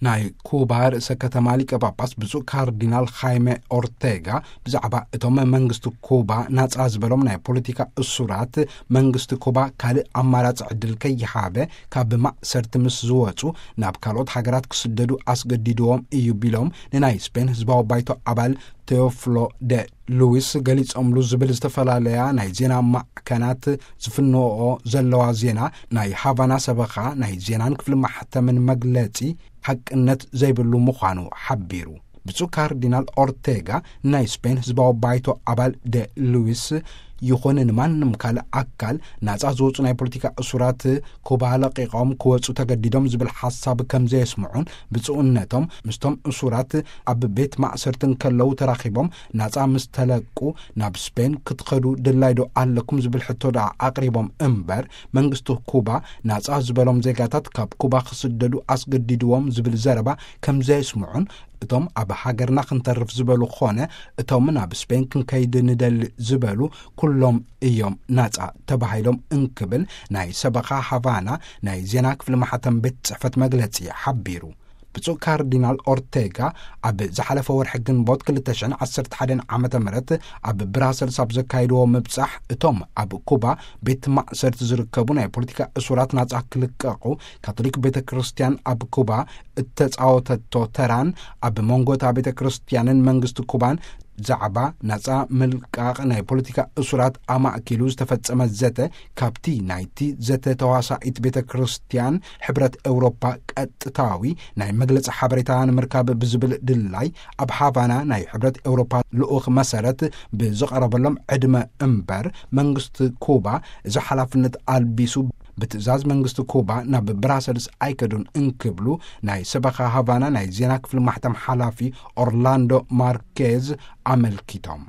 ናይ ኩባ ርእሰ ከተማ ሊቀ ጳጳስ ብፁዕ ካርዲናል ኻይመ ኦርቴጋ ብዛዕባ እቶም መንግስቲ ኩባ ናጻ ዝበሎም ናይ ፖለቲካ እሱራት፣ መንግስቲ ኩባ ካልእ ኣማራጺ ዕድል ከይሃበ፣ ካብ ማእሰርቲ ምስ ዝወጹ ናብ ካልኦት ሃገራት ክስደዱ ኣስገዲድዎም እዩ ቢሎም፣ ንናይ ስፔን ህዝባዊ ባይቶ ኣባል ቴዎፍሎ ደ ሉዊስ ገሊጾምሉ ዝብል ዝተፈላለያ ናይ ዜና ማዕከናት ዝፍንወኦ ዘለዋ ዜና፣ ናይ ሃቫና ሰበኻ ናይ ዜናን ክፍሊ ማሕተምን መግለጺ ሓቅነት ዘይብሉ ምዃኑ ሓቢሩ። ብፁዕ ካርዲናል ኦርቴጋ ናይ ስፔን ህዝባዊ ባይቶ ኣባል ደ ሉዊስ ይኹን ንማንም ካልእ ኣካል ናጻ ዝወጹ ናይ ፖለቲካ እሱራት ኩባ ለቂቖም ክወጹ ተገዲዶም ዝብል ሓሳብ ከም ዘየስምዑን፣ ብፁዕነቶም ምስቶም እሱራት ኣብ ቤት ማእሰርቲ እንከለዉ ተራኺቦም ናጻ ምስ ተለቁ ናብ ስፔን ክትኸዱ ድላይ ዶ ኣለኩም ዝብል ሕቶ ደኣ ኣቕሪቦም እምበር፣ መንግስቲ ኩባ ናጻ ዝበሎም ዜጋታት ካብ ኩባ ክስደዱ ኣስገዲድዎም ዝብል ዘረባ ከም ዘየስምዑን፣ እቶም ኣብ ሃገርና ክንተርፍ ዝበሉ ኾነ እቶም ናብ ስፔን ክንከይድ ንደሊ ዝበሉ ኩሎም እዮም ናጻ ተባሂሎም እንክብል ናይ ሰበኻ ሃቫና ናይ ዜና ክፍሊ ማሕተም ቤት ጽሕፈት መግለጺ ሓቢሩ። ብፁዕ ካርዲናል ኦርቴጋ ኣብ ዝሓለፈ ወርሒ ግንቦት ክልተ ሽሕን ዓሰርተ ሓደን ዓመተ ምህረት ኣብ ብራሰልስ ኣብ ዘካየድዎ ምብጻሕ፣ እቶም ኣብ ኩባ ቤት ማእሰርቲ ዝርከቡ ናይ ፖለቲካ እሱራት ናጻ ክልቀቑ፣ ካቶሊክ ቤተ ክርስቲያን ኣብ ኩባ እተጻወተቶ ተራን፣ ኣብ መንጎ እታ ቤተ ክርስቲያንን መንግስቲ ኩባን ዛዕባ ናጻ ምልቃቕ ናይ ፖለቲካ እሱራት ኣማእኪሉ ዝተፈጸመ ዘተ፣ ካብቲ ናይቲ ዘተ ተዋሳኢት ቤተ ክርስቲያን ሕብረት ኤውሮፓ ቀጥታዊ ናይ መግለጺ ሓበሬታ ንምርካብ ብዝብል ድላይ፣ ኣብ ሃቫና ናይ ሕብረት ኤውሮፓ ልኡኽ መሰረት ብዝቐረበሎም ዕድመ እምበር፣ መንግስቲ ኩባ እዚ ሓላፍነት ኣልቢሱ ብትእዛዝ መንግስቲ ኩባ ናብ ብራሰልስ ኣይከዱን እንክብሉ ናይ ሰበኻ ሃቫና ናይ ዜና ክፍሊ ማሕተም ሓላፊ ኦርላንዶ ማርኬዝ ኣመልኪቶም።